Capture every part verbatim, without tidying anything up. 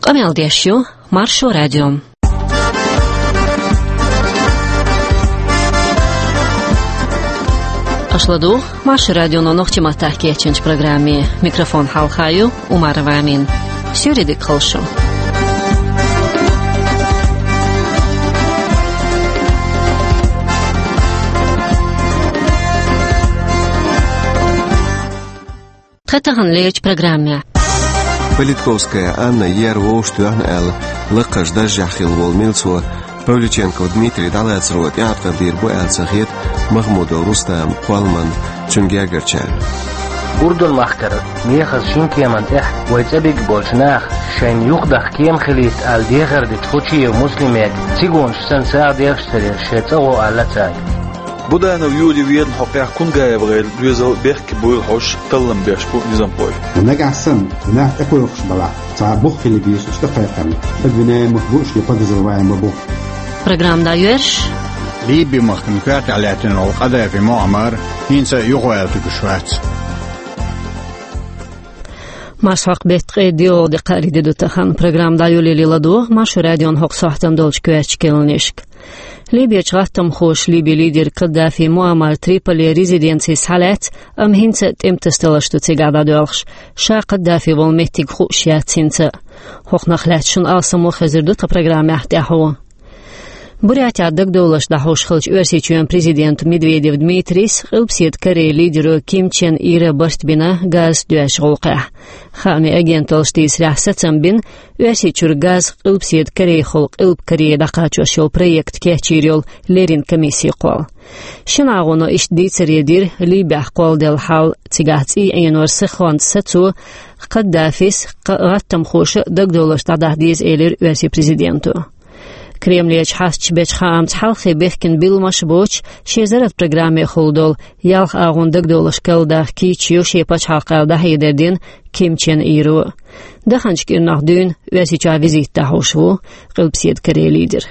Къамел деш ю Маршо радио. Аша ладугӀу Маршо радионо нохчийн маттахь кечйинчу программе. Микрофон хьалха ю Умарова Амина. Суьйре дика хуьлда шун. Тхан таханлерчу программехь. Политковская Анна ер вовшахтоьхна аьлла, лакхарчу даржехь хилла волу милцо Павлюченков Дмитрий дӀалацаро тӀеӀаткъам бийр бу аьлла ца хета Махмудов Рустам кхолламан, цуьнан гергарчарна. Урдун-махкара мехаза шина кеман тӀехь вай цӀа бигна болчу наха шайна юхадаккха кема хилийта аьлла дехар дечу Хучиев Муслиме цигахь санна сагӀа деш ца деш шайн цӀа гӀо аьлла цаьрга. Буданов Юрий венан хьокъехь Кунгаев гӀайла доьзал бехке буйла хьожуш таллам беш бу низамхой. Нагахь санна, нах тӀекхойкхуш балахь, цхьа бух хила беза уьш тӀекхайкхарна, обвиняемых бу уьш я подозреваемый бу. Программа дӀайоьрзуш. Ливи-махкана коьртехь лаьттина волу Къадафи Муаммар хӀинца а юхаваьлла туьгуш вац. Марсхьокху беттан ткъе доьалгӀа де, кхаарин де ду тахана. Программа дӀайолале ладогӀа Маршо радион хӀокху сохьтана долчу коьртачу кхаьънашка. Ливерчу гӀаттамхоша Ливин лидер Каддафи Муаммар Триполин резиденци схьалаьцна, амма хӀинца а тӀематасадаларш ду цигахь дӀадоьлхуш. Ша Каддафи волу меттиг хууш яц хӀинца а. ХӀокхунах лаьцна шуна алсам а хезар ду тхан программехь тӀаьхьо. Бурятехь дагадовларш дӀахьош хиллачу Оьрсийчоьнан президента Медведев Дмитрийс Къилбаседа Корейн лидеро Ким Чен Ира барт бина газа доьзначу гӀуллакхехь. Хаамийн агенталлаша дийцарехь, сацам бина Оьрсийчуьра газ Къилбаседа Корейхула Къилба Корее дӀакхачош йолу проект кечйийр йолу леррина комиссин кхолла. Шина агӀоно иштта дийцаре дира Ливехь кхолладелла хьал, цигахь цӀий Ӏенор сихонца сацо, Каддафис, кха-, гӀаттамхоша дагадовларш дӀадахьа деза, элира Оьрсийн президенто. Кремлерчу хьасташа бечу хаамца, хьалххе бехкина билламаш боцуш, шен зарратан программехула долу ялх агӀон дагадовларш карладаккха кийча ю шен пачхьалкх аьлла дӀахьедар дина Ким Чен Иро. Даханчу кӀирнах дуьйна Оьрсийчохь визит дӀахьош ву Къилбаседа Корейн лидер.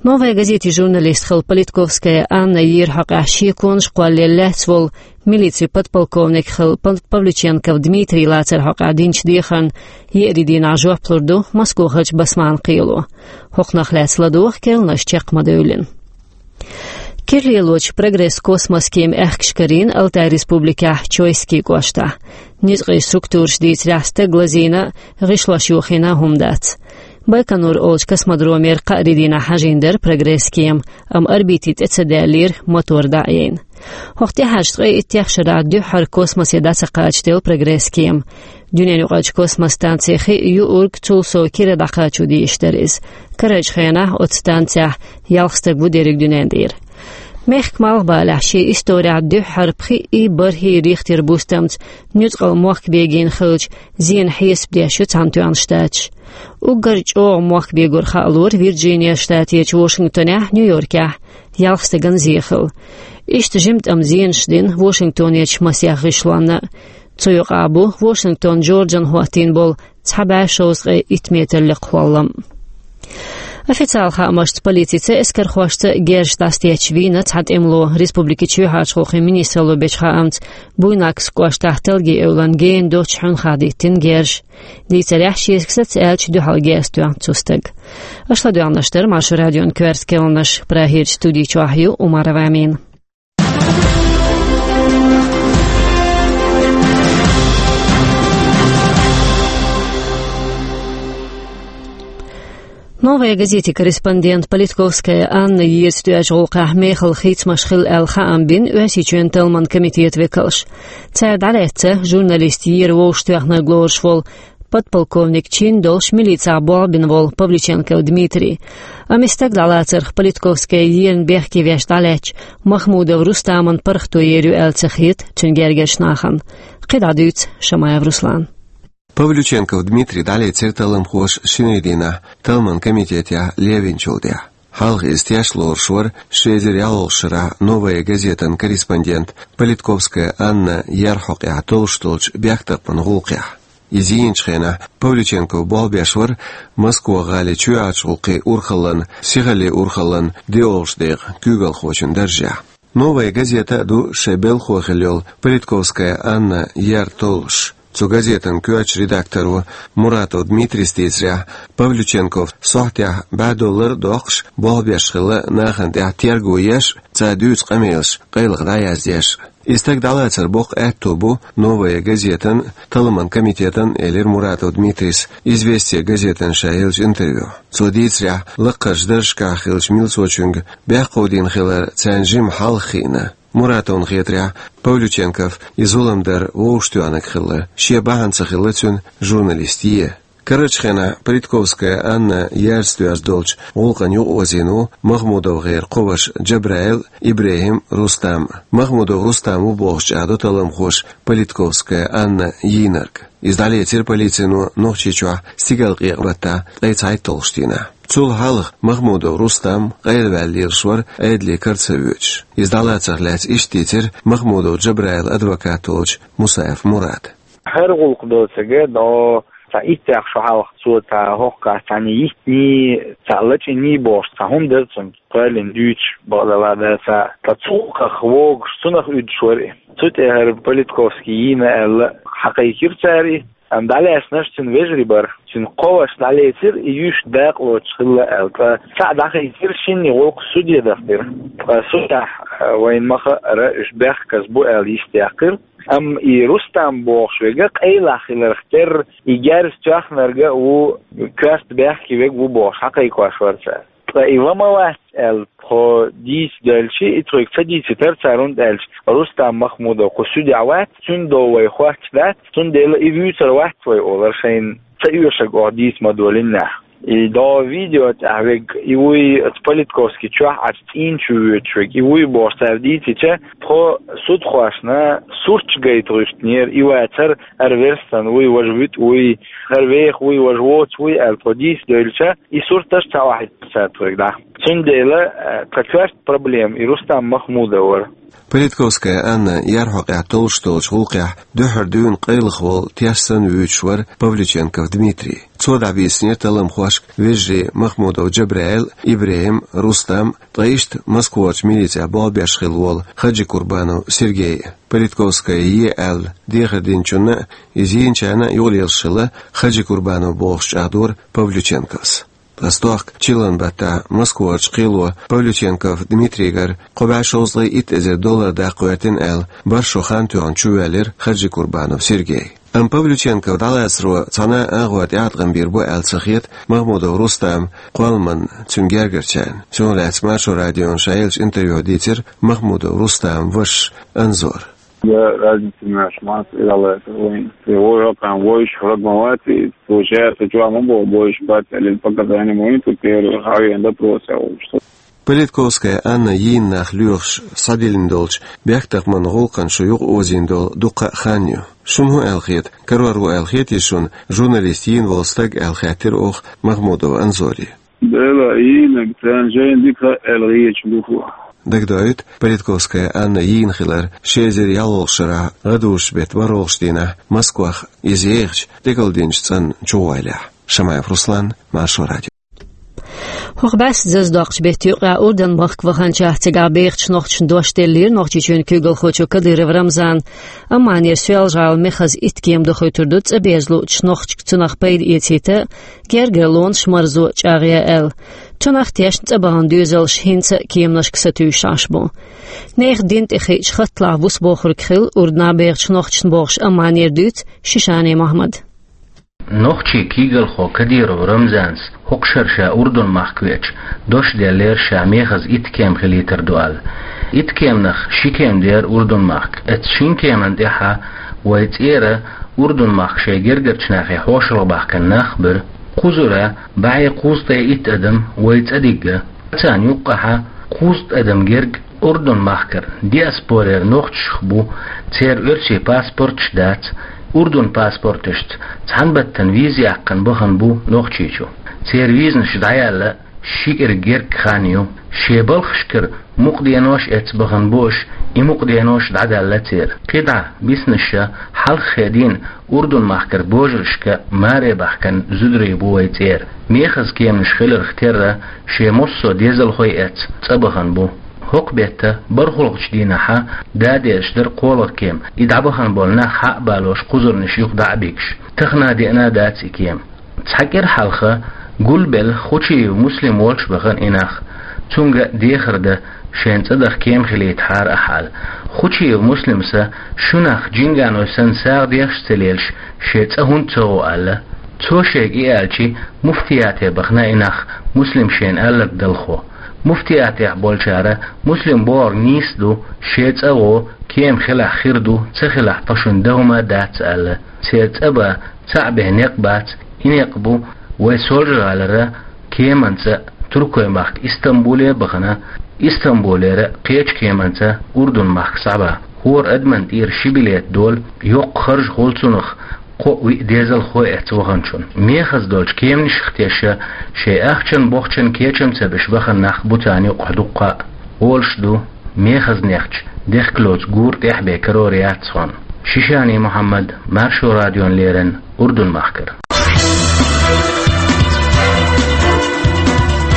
«Новая газетин» журналист хилла Политковская Анна еран хьокъехь шеконаш кхоллаелла лаьцна волу милицин подполковник хилла Пав-, Павлюченков Дмитрий лацаран хьокъехь динчу дехарна еарин дийнахь жоп лур ду Москвахарчу Басманан кхело. ХӀокхунах лаьцна ладогӀа кхаьънаш чекх ма-девллина. Кира лелочу «Прогресс» космос кема аьхкаш карийна Алтай Республикехь Чойский кӀоштахь. Ницкъийн структураша дийцарехь, стаг лазийна а, гӀишлош йохийна а хӀума дац. Байконур олучу космодромера кхаарин дийнахь хьажийна дара «Прогресс» кема, амма орбите тӀе ца даьллера, мотор дӀа а яйна. ХӀокху тӀаьхьарчу ткъе иттех шарахь дуьххьара космосе дӀа ца кхачаделла «Прогресс» кема. Дуьненаюкъарчу космос станцин хи а, юург, цул сов кира дӀакхачо дезаш дара иза. Карарчу хенахь оцу станцехь ялх стаг ву дерриг дуьненан тӀера. Мехкан малхбалехь шен исторехь дуьххьара пхиъ и бархӀ Рихтер бустамца нуьцкъала мохк бегийна хилча, зенан хьесап деш ю Цхьаьнатоьхна Штаташ. Уггар чӀогӀа мохк бегор хаалора Вирджиния штатехь, Вашингтонехь, Нью-Йоркехь, ялх стагана зен хилла. Иштта жимма тӀама зенаш дина Вашингтонерчу масех гӀишлонна. Цу юкъахь бу Вашингтон Джорджина хӀоттийна болу цхьа бӀе шовзткъе итт метр лекха хӀоллам. Официалан хаамашца, полицица а, эскархошца а герзаш дӀасатетташ вийна цхьа тӀемало. Республикин чоьхьарчу гӀуллакхийн министралло бечу хаамца, Буйнакск кӀоштахь Талгин эвлана гена доцчу хьуьнхахь диттина герзаш. Дийцарехь, шега саца аьлча, дуьхьал герз тоьхна цу стага. Аша ладоьгӀнарш дара Маршо радион коьрта кхаьънаш. Прагерчу студи чохь ю Умарова Амина. «Новая газетин» корреспондент Политковская Анна ерза тоьачу гӀуллакхехь мехала хийцамаш хилла аьлла хаам бина Оьрсийчоьнан талламан комитетан векалша. Цара дӀалаьцна журналист ер вовшахтоьхнарг лоруш волу, подполковник чин долуш милицехь болх бина волу Павлюченков Дмитрий. Амма и стаг дӀалацарх Политковская ерна бехке веш дӀалаьцначу Махмудов Рустаман паргӀато ер ю аьлла ца хета цуьнан гергарчу нахана. КхидӀа дуьйцу Шамаев Руслана. Павлюченков Дмитрий дӀалецира талламхоша шинарин дийнахь талламан комитетехь левинчул тӀаьхьа. Хьалха иза теш лоруш вара ши эзар ялхолгӀачу шарахь «Новая газетан» корреспондент Политковская Анна ер хьокъехь толлуш долчу бехктакхаман гӀуллакхехь. Иза йийначу хенахь Павлюченков болх беш вара Москва-гӀалин чоьхьарчу гӀуллакхийн урхаллан, сихаллин урхаллан доьалгӀачу декъан куьйгалхочун даржехь. «Новая газета» а ду шайн белхахо хилла йолу Политковская Анна ер толлуш. Цу газетан коьртачу редакторо Муратов Дмитрийс дийцарехь, Павлюченков сохьтехь бӀе доллар а доккхуш, болх беш хилла нахана тӀехь терго еш а, цара дуьйцу къамелаш къайлаха дӀаяздеш а. И стаг дӀалацар боккха аьтто бу «Новая газетан» а, талламан комитетан а, элира Муратов Дмитрийс «Известия» газетана ша еллачу интервьюхь. Цо дийцарехь, лакхарчу даржашкахь хиллачу милцочуьнга бехкхо дина хилар царна жимма хьалха хиъна. Муратовна хетарехь, Павлюченков и зулам дар вовшахтоьхнарг хилла, шен бахьана ца хилла цуьнан журналист е. Карарчу хенахь Политковская Анна яьржа доьзна долчу гӀуллакхана юкъаозийна ву МахмудовгӀеран кхо ваша Джабраил а, Ибрахим а, Рустам а. МахмудовгӀ Рустам ву бохуш чӀагӀдо талламхоша Политковская Анна йийнарг. Иза дӀалецира полицино Нохчийчохь стигалкъекъа баттахь ткъе цхьайтталгӀачу дийнахь. Цул хьалха МахмудовгӀ Рустам къайлаваьлла лелаш вара Ӏедале кара ца воьдуш. Иза дӀалацарх лаьцна иштта дийцира МахмудовгӀ Джабраилан адвокат волчу Мусаев Мурада. ХӀара гӀуллакх доцург а, до цхьа итт-пхи шо хьалха цо цхьа хӀокху кхаьччахьана йиттиний, цхьа лачкъийний бохуш цхьа хӀума дара цуьнга, кхоьллина дуьйцуш, бакъдолуш, дан ца. Ткъа цу гӀуллакхах вогуш цунах уьдуш вара и. Цу тӀе хӀара Политковский йийна аьлла, хьакхайкхира цара и. Амма дӀалаьцнарш цуьнан вежарий бара. Цуьнан кхо ваша дӀалецира, и юьйш дакъалоцуш хилла аьлла. Ткъа цхьаъ дӀахийцира, шинна и гӀуллакх суде дахдира. Ткъа судехь, а, вайна ма-хаъара, уьш бехказа бу аьлла йистехкира. Амма и Рустам бохуш верг а къайлах хиларх терра, и герз тоьхнарг а ву, коьрта бехке верг а ву бохуш хьакхайкхош вара цара. Ткъа и ван ма вац аьлла, тхо дийца девлча, и тхоьга ца дийцитара цара, хӀунда аьлча Рустам Махмудов кху судехь вац, цуьнан дов вай хоттуш дац, цундела и вуьйцур вац вай олура шайна ца оьшург, оха дийца ма долийначохь. И до видео тӀехь верг и вуй, оцу Политковский чохь Ӏачу цӀийнан чу воьдуш верг и вуй бохуш цара дийцича, тхо судхошна сурташ гайта гӀуьттинера, и вацара хӀара верстан вуй, важа вуьтӀа вуй, хӀара веха вуй, важа воцу вуй аьлла тхо дийца девлча, и сурташ ца охьаиттира цара тхоьга дӀа. Цундела, э, тхан коьрта проблема и Рустам Махмудов вара. Политковская Анна ярхьокъехь толлуш долчу гӀуллакхехь дуьххьара дуьйна къайлаха волу теш санна вуьйцуш вара Павлюченков Дмитрий. Цо дӀабийцинера талламхошка вежарий Махмудов Джабраил, Ибрахим, Рустам, ткъа иштта Москварчу милицехь болх беш хилла волу Хаджикурбанов Сергей. Политковская е аьлла дехар динчунна а, иза йийначарна а юкъалелаш хилла Хаджикурбанов бохуш чӀагӀдора Павлюченковс. Ткъа стохка чиллан баттахь Москварчу кхело Павлюченков Дмитрийгара кхо бӀе шовзткъе итт эзар доллар даккха гӀоьртина аьлла, бархӀ шо хан тоьхна чувоьллира Хаджикурбанов Сергей. Амма Павлюченков дӀалацаро цхьана а агӀор тӀеӀаткъам бийр бу аьлла ца хета МахмудовгӀ Рустама кхолламанна, цуьнан гергарчарна. Цунах лаьцна Маршо радиона ша еллачу интервьюхь дийцира МахмудовгӀ Рустаман вашас Анзора. Я разница между нас и Аллахом. Вой, вой, вой, вой, вой, получается, чего мы было больше пять или показания мы тут первый, а я допрос, а вот что. Политковская Анна йийна нах лоьхуш схьадиллина долчу бехктакхаман гӀуллакхана шу юкъаозийна долу дуккха а хан ю. Шуна хӀун аьлла хета, карор ву аьлла хетий шуна журналист йийна волу стаг аьлла хаьттира оха Махмудов Анзоре. Дела йийна, царна жайна дика аьлла гӀечу духу. Дагадоуьйту, Политковская Анна йийна хилар ши эзар ялхолгӀачу шарахь гӀадужу беттан ворхӀалгӀачу дийнахь Москвахь иза ехачу тӀекалдинчу цӀанна чугӀойлехь. Шамаев Руслан, Маршо радио. ХӀокху бӀаьста зазадоккхучу беттан юкъахь Урдан-махка ваханчохь цигахь бехачу нохчашна дош деллера Нохчийчоьнан куьйгалхочо Кадыров Рамзана. Амманера Соьлжа-ГӀалин мехаза итт кема дохуьйтур ду цӀа беза луучу нохчашка цунах пайда эцийта, гергарлонаш марзо чӀагӀъян аьлла. Цунах тешна цӀа бахана доьзалш хӀинца а кеманашка сатуьйсуш Ӏаш бу. Нехан дин тӀе хиъча хатталахь вусбохург хилла Урданахь бехачу нохчашна бохуш Амманера дуьйцу Шишани Мохьмада. Нохчийн куьйгалхо Кадыров Рамзанас хӀокху шарахь ша Урдан-махка веача дош деллера ша мехаза итт кема хилийтар ду аьлла. Итт кеманах ши кема дара Урдан-махка. Оцу шина кеманна тӀаьхьа вайн цӀера Урдан-махка шайн гергарчу нахе хьошалгӀа баьхкина нах а бара. Кхузара бӀе кхузткъе итт адам вайн цӀа дигна. Царна юккъехь кхузткъа адам герга Урдан-махкара диаспорера нохчашх бу, церан оьрсийн паспорташ дац, Урдан паспорташца цхьана баттана виза яьккхина бахана бу Нохчийчу. Церан визанаш дӀаяьлла ши кӀира герга хан ю. Шен балхашкара мукъа денош эцна бахана бу уьш, и мукъа денош дӀадаьлла церан. КхидӀа бисинарш хьалххе дийна Урдан-махкара божаршка маре баьхкина зударий бу вайн цӀера. Мехаза кеманаш хиларх терра шен массо а дезалхой эцна цӀа бахана бу. ХӀокху бетта бархӀалгӀачу дийнахьа да дезаш дара кхоалгӀа кема, и дӀабахана болу нах хьа а балош кхузарнаш юха дӀа а бигаш. Тахана деана дац и кема. Цхьа кӀира хьалха гулбелла Хучиев Муслим волчу бахана и нах. Цуьнга дехар дан, шен цӀа даха кема хилийтахьара ахьа аьлла. Хучиев Муслимса шуьнах жинганой санна сагӀа дехаш ца лелаш, шен цӀа хӀунда ца гӀо аьлла. Цо шега и аьлчи, муфтияте бахана и нах, Муслим шена аьлларг далхо. Муфтиятехь болчара Муслим бохург нийса ду, шен цӀа гӀо, кема хилахь хир ду, ца хилахь тхо шуна дан хӀума а дац аьлла. Церан цӀа бан цхьаъ бен некъ бац, и некъ бу вай Солжа-ГӀалара кеманца Туркойн махка Истамбуле а бахана, Истамбулера кхечу кеманца Урдун махка схьабан. ХӀора адаман тӀера ши билет долу, йоккха харж хуьлу цунах, кхоъ-виъ дезалхой эцна ваханчунна. Мехаза долчу кеманашка тешна, шайн ахчан-бохчан кечам ца беш бахана нах бу царна юкъахь дуккха а. Олуш ду, мехазнехча дехкалоцу гура тӀехь бен карор яц хьуна. Шишани Мухьаммад, Маршо радион леррина, Урдун махкара.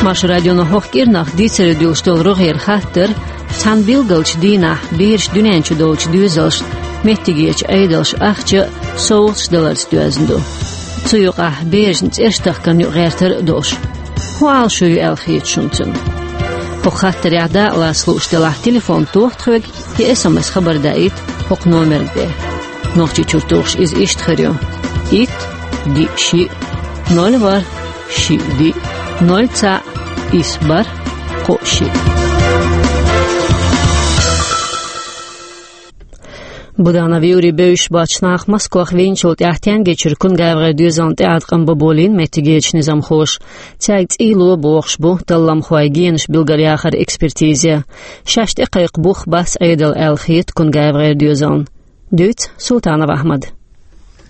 Маршо радионо хӀокху кӀирнах дийцаре дуьллуш долу рогӀера хаттар, цхьана билгалчу дийнахь бераш дуьнен чу долчу доьзалшна меттигерчу Ӏедалша ахча а, совгӀаташ а даларца доьзна ду. Цу юкъахь берашна цӀерш тахкарна юкъа гӀертар а долуш. ХӀун Ӏалашо ю аьлла хета шуна цуьнан? ХӀокху хаттарехь дакъалаца лууш делахь, телефон тоха тхоьга я эс эм эс хабар даийта хӀокху номерга бен. Нохчийчуьра тухуш иза иштта хир ю: итт, диъ, шиъ, ноль, ворхӀ, шиъ, диъ, ноль, цхьаъ, исс, бархӀ, кхоъ, шиъ. Буданов Юрий бевзаш боцчу наха Москвахь вийначул тӀаьхьа ТӀенгечуьра КунгайвгӀеран доьзална тӀеӀаткъам бан болийна меттигерчу низамхоша. Цаьрга цӀий ло бохуш бу талламхойн генаш билгалъяхаран экспертиза. Шаьш тӀекхайкха бух бац Ӏедал аьлла хета КунгайвгӀеран доьзална. Дуьйцу Султанов Ахьмада.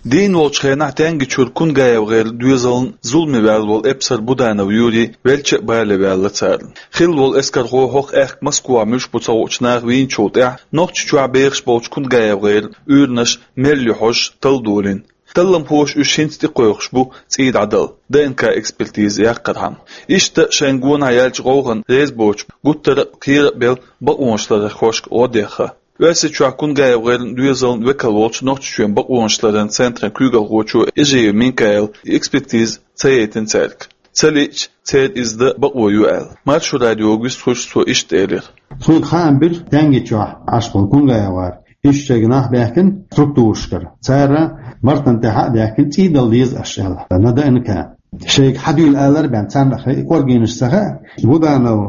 Дийна волчу хенахь ТӀенгечуьра КунгайвгӀеран доьзална зуламе ваьлла волу эпсар Буданов Юрий велча а бале ваьлла царна. Хилла волу эскархо хӀокху аьхка Москвахь муьлш бу ца хуучу наха вийначул тӀаьхьа Нохчийчохь бехаш болчу КунгайвгӀеран уьйранаш мел ю хьожуш талла долийна. Талламхоша уьш хӀинца тӀекхойкхуш бу цӀий дӀадала, ДНК-экспертиза яккхархьама. Иштта шайна гонахь яьллачу гӀовгӀанна реза боцуш, гуттара а кхера а белла, бакъонашларъярхошка гӀо дехна. Оьрсийчохь КунгайвгӀеран доьзална векал волчу Нохчийчоьнан бакъонашларъяран центран куьйгалхочо Эжиев Минкаила экспертиза ца яйтина цаьрга. Ца лиъча, церан иза дан бакъо ю аьлла. Маршо радиога вистхуьлуш цо иштта элира. Тхоьга хаам бира ТӀенгечохь Ӏаш болу КунгайвгӀар. Иштта шайга нах баьхкина структурашкара. Цара Мартан тӀехь а баьхкина цӀий дала деза аша аьлла, на ДНК. Шайга хьан дуьйла алар а бен, царна хӀара и кӀоргенаш ца хаьа, Буданов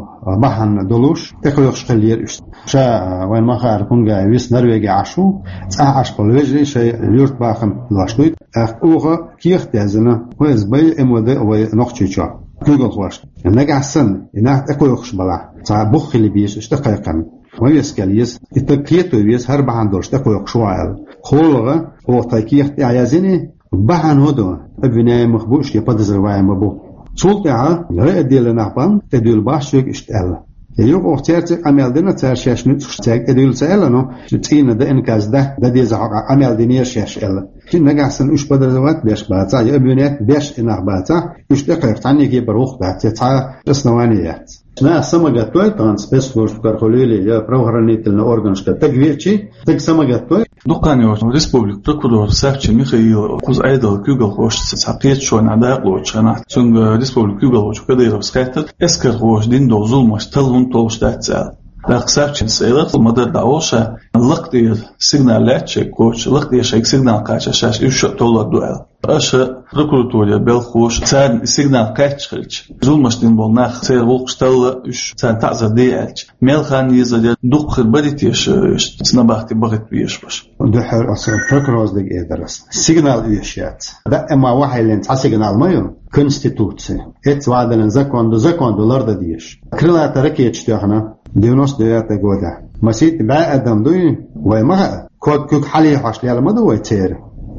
бахьана долуш, тӀекхойкхуш хиллера уьш. Ша вайн ма-хаара КунгайвгӀар виса Норвеге Ӏаш ву, цӀахь Ӏаш болу вежарий шайн юьртбахам лош дуй. ТӀаккха оха кехат язйина, ФСБ а, МВД а вай Нохчийчохь куьйгалхошна. Нагахь санна и нах тӀекхойкхуш балахь, цхьа бух хила беза уьш тӀекхайкхарна. Ма вескал еза, и стаг кхето веза, хӀара бахьана долуш тӀекхойкхуш ву аьлла. КхоалгӀа, оха тхайн кехат тӀехь язйина, бахьана хӀун ду, обвиняемых бу уьш я подозреваемый бу. Цул тӀаьхьа райотделе нах бан, тӀедуьйла баш шуьга иштта аьлла. Я юха оха цаьрца къамел дина, цара шаьш нуьцкъаш цаьрга тӀедуьйла ца аьлла, но цӀийнан ДНК-с дан, дан деза хьокъехь къамел динера шаьш аьлла. Шен нагахь санна уьш подозревать беш бацахь, я обвинять беш и нах бацахь, уьш тӀекхайкха цхьанне кепара вухха дац, я цхьа основание яц. Наха самагатдой тахана спецслужбашкара хуьлийла я правоохранительный органашкара стаг веачи, стаг самагатдой. Дукха хан йоцуш республикан прокурор Савчин Михаила кхуза Ӏедалан куьйгалхошца цхьа кхеташонехь дакъалоцучу хенахь, цуьнга республикан куьйгалхочо Кадыровс хаьттира, эскархоша дина долу зуламаш талла хӀунда толлуш дац аьлла. ТӀаккха Савчинс элира, ма-дарра дӀаволуш, лакха тӀера сигнал лаьтта шайга кхочуш, лакха тӀера шайга сигнал кхаччалц шаьш уьш а толлур ду аьлла. Аша прокуратурера белхахоша царна и сигнал кхаьчча хилча, зуламаш дина болу нах, церан гӀуллакхаш талла, уьш царна таӀзар де аьлча, мел хан езар яра, дукха хир барий теша, иштта снабахти бахийта везаш баш? Дуьххьара аса прокурорс дага эдар аса. Сигнал оьшуш яц. Даима вахьайлина цхьа сигнал ма ю, Конституци. Эццахь вадалин закон ду, закон ду лардан дезаш. Крылатая ракеташ тоьхна девяносто девятый года. Масийтта бӀе адам дуй, вай ма хаьа. Ког куьг хьалехьош лела ма ду вай церан.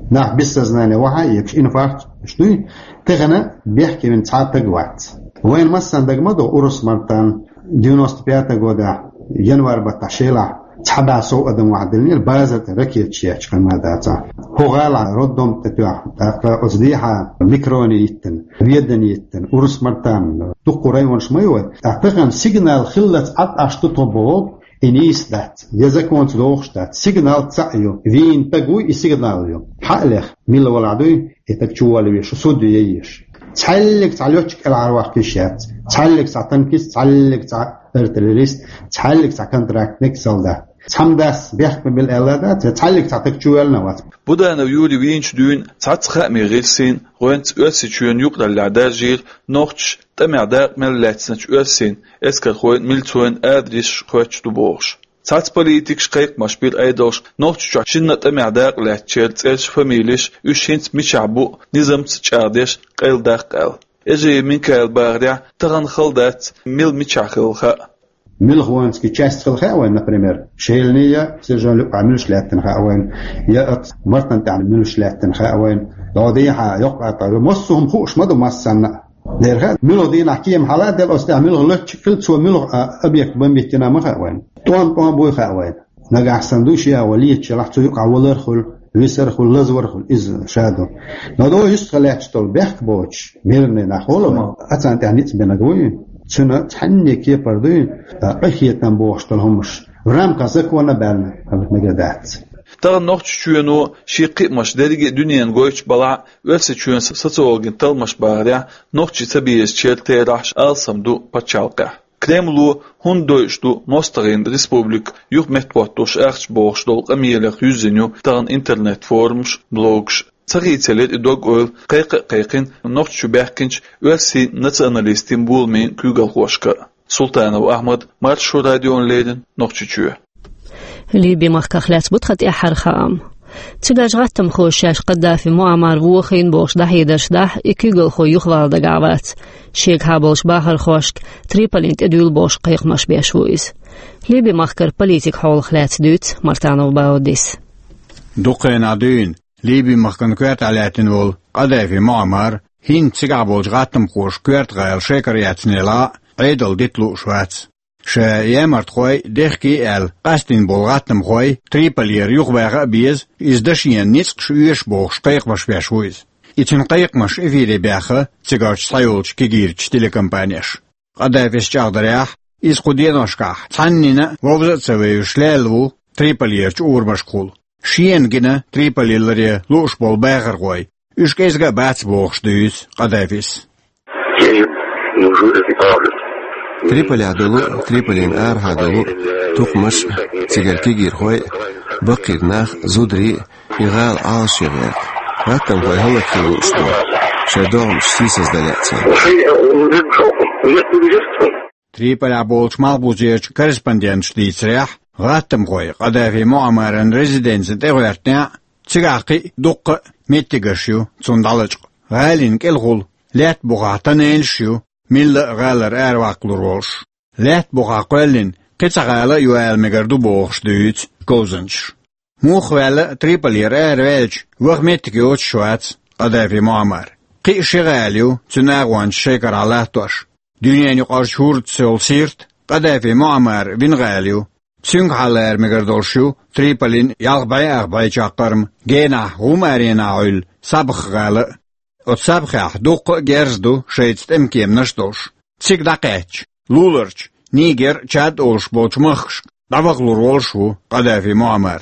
Нах бессознание вахьа а эгаш, инфаркт уьш дуй. Тахана бехке вина цхьа а стаг вац. Вайна массанна дага ма ду, урус Мартан, девяносто пятого года январь баттахь шелахь Цхьа бӀаь сов адам вахьа диллинера, базар тӀа ракеташ етташ хӀама дац. ХӀокху гӀалахь роддом тӀе тоьхна, тӀаккха оцу дехьа Микроне йиттина, Ведане йиттина, Урус-Мартан, дуккха районаш ма ю вай. ТӀаккха тахана сигнал хиллалц Ӏад Ӏаш ду тхо боху, и нийса дац, я законца догӀуш дац. Сигнал цхьаъ ю, вийна стаг вуй, и сигнал ю. Хьа а леха, мила валахь дуй, и стаг чуволла везаш, суд ве езаш. Цхьаьллиг цхьа летчик кӀелхьарваккха йиш яц. Цхьаьллиг цхьа танкист, цхьаьллиг цхьа артиллерист, цхьаьллиг цхьа контрактник, солдат. Цхьамма дас бехк ма билла аьлла дац, я цхьаьллиг цхьа стаг чувоьллина вац. Буданов Юрий вийначу дуьйна цхьацца хаамийн гӀирсийн, гӀоьнца Оьрсийчоьнан юкъараллехь даржийра нохчаша тӀамехь дакъа мел лаьцначу оьрсийн эскархойн, милцойн адресаш хоьттуш ду бохуш. Цхьацца политикаша кхайкхамаш бира Ӏедалшка Нохчийчохь шинна а тӀамехь дакъа лаьцначеран цӀераш, фамилеш, уьш хӀинца мичахь бу, низамца чӀагӀдеш къайладаккха аьлла. Эжиев Минкаила бахарехь, тахана хала дац, мила мичахь хилла хаа. Муьлхуонский часть хилла хаьа вайна, например, Шеланехь я Сержан-Люккъехь муьлш лаьттина хаьа вайна, я оцу Мартан тӀехь муьлш лаьттина хаьа вайна. ДӀо дехьа йоккха а тӀе, массо а хӀума хууш ма ду массанна а. Дера хаьа, муьлха дийнахь кема хьала а делла, оцу тӀехь муьлха летчик хилла, цо муьлха а объект бомбить йина ма хаьа вайна. ТӀом-тӀом буй хаьа вайна. Нагахь санна дуй шен агӀо леташ елахь, цу юкъахь валар а хуьлу, висар а хуьлу, лазавар а хуьлу, иза ша ду. Но дӀо юьстахь лаьтташ долу бехк боцуш, мирный нах олу вай, а царна тӀехь ницкъ бинарг вуй. Цуьнан цхьанне кепара дуй, а, къинхетам бохуш долу хӀумаш в рамках закона а баьлла, хӀара мегар дац. Тахана Нохчийчоьно шен кхиамаш дерриге а дуьненна гойтуш балахь а, Оьрсийчоьнан социологийн талламаша бахарехь, нохчий ца безачеран терахьаш алсам ду пачхьалкхехь. Кремло хӀунда дойуш ду мостагӀийн республика юха меттахӀоттош ахча бохуш долу къамелех юьззина ю тахана интернет-форумаш, блогаш. Ца хийцалира и дог-ойла кхайкха а кхайкхина Нохчийчу баьхкинчу оьрсийн националистийн боламийн куьйгалхошка а. Султанов Ахьмад, Маршо радиона леррина, Нохчийчоь. Ливи-махках лаьцна бу тхан тӀаьххьара хаам. Цигарчу гӀаттамхоша шаьш Каддафи Муаммар вохийна бохуш дӀахьедарш дахь, и куьйгалхо юхавала дагахь вац. Шегахьа болчу бахархошка Триполин тӀедуьйла бохуш кхайкхамаш беш ву иза. Ливи-махкара политика хьолах лаьцна дуьйцу Мартанов Баудис. Дукха хенахь дуьйна Ливи-махкана коьртехь лаьттина волу Каддафи Муаммар хӀинца цигахь болчу гӀаттамхоша коьрта гӀала шекара яцнелла а Ӏедал дита лууш вац. Ша ямартхой дехкий аьлла, къастийна болу гӀаттамхой Триполера юхабаха а беза, иза дашена ницкъаш оьшу бохуш кхайкхамаш беш ву иза. И цуьнан кхайкхамаш эфире баьхна цигарчу схьайолчу кегийрачу телекомпанеша. Каддафис чӀагӀдарехь, иза кху деношкахь цхьаннина а вовза а ца вевзаш лелла ву Триполерачу урамашкахула. Шена гина Триполиларе лууш болу бахархой, уьш кӀезга а бац бохуш дуьйцу Каддафис. Триполехь долу, Триполин арахьа долу тукхамаш, цигара кегийрхой, баккхийра нах, зударий, и гӀала Ӏалашъян гӀерта. ГӀаттамхой хӀаллакьхила лууш бу, шайн догӀмаш сийсаздан лаьа цара. Триполехь болчу малхбузерчу корреспонденташа дийцарехь, гӀаттамхой Каддафи Муаммаран резиденцина тӀегӀоьртинехь а, цигахь кхин а дуккха а меттигаш ю цунна дӀалачкъа. ГӀалина кӀелхула лаьтта бухахь тоннелаш ю, милла а гӀалара араваккхалур волуш. Лаьтта бухахь кхоьллина кхин цхьа гӀала а ю ала мегар ду бохуш дуьйцу говзанчаша. Муха ваьлла а, Триполера араваьлча, ваха меттиг йоцуш вац Каддафи Муаммар. Кхин а ши гӀала ю цуьнан агӀончаша шекарахь латтош. Дуьненаюкъарчу хӀурдас йолу сирт Каддафи Муаммаран вина гӀала ю. Цуьнгахьа лара мегар долуш ю Триполин ялх бӀе ах бӀе чаккхарма генахь гӀум-аренахь Ӏуьллу Сабха-гӀала а. Оцу Сабхехь дуккха а герз ду шайца тӀемкеманаш а долуш. Цига дӀакхаьчча, луларчу Нигер, Чад олуш болчу махкашка дӀавахалур волуш ву Каддафи Муаммар.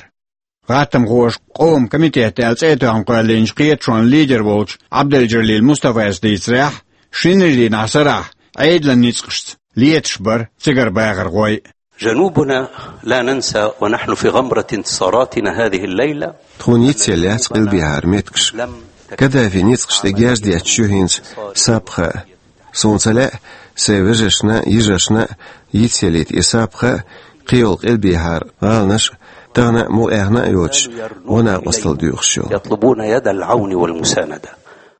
ГӀаттамхоша къоман комитет аьлла цӀе а тоьхна кхоьллинчу кхеташонан лидер волчу Абдель-Джалил Мустафас дийцарехь, шинарин дийнахь сарахь Ӏедалан ницкъашца леташ бара цигара бахархой. جنوبنا لا ننسى ونحن في غمرة انتصاراتنا هذه الليلة. Тхуна йицъелла яц къилбехьара меттигаш. Каддафин ницкъаш тӀе герз детташ ю хӀинца Сабха а. Суна ца лаьа, сайн вежаршна а, йижаршна а йицъеллийта и Сабха а, кхийолу къилбехьара гӀаланаш а, тахана а, мукъаяхна а йоцуш, гӀо-накъосталла доьхуш йолу. يطلبون يد العون والمساندة.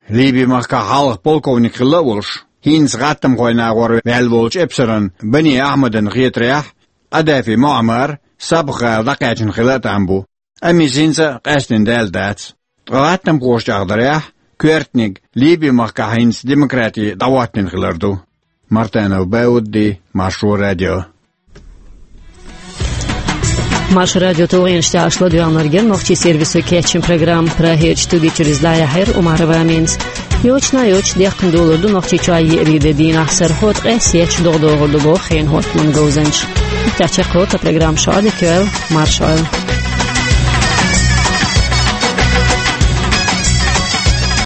Ливи-махкахь хьалха полковник хилла а волуш, хӀинца гӀаттамхойн агӀор ваьлла волчу эпсаран Бани Ахьмадан хетарехь, Каддафи Муаммар Сабха-гӀала дӀакхаьчна хила а там бу, амма иза хӀинца а къаьстина даьлла дац. Ткъа гӀаттамхоша чӀагӀдарехь, коьртаниг Ливи-махкахь хӀинца демократи дӀахӀоттийна хилар ду. Мартанов Баудди, Маршо радио. Маршо радион тулгӀенаш тӀехь аш ладоьгӀнарг яра нохчийн сервисо кечйина программа. Прагерчу студи чуьра иза дӀаяьхьира Умарова Аминас. Йочана йоцуш дехкина долур ду Нохчийчохь еарин де дийнахь сарахь, ткъе сецначу догӀа догӀур ду боху хенан хӀоттаман говзанчаша. Иштта чекхйолу тхан программа, шу Ӏадика йойла, марша Ӏойла.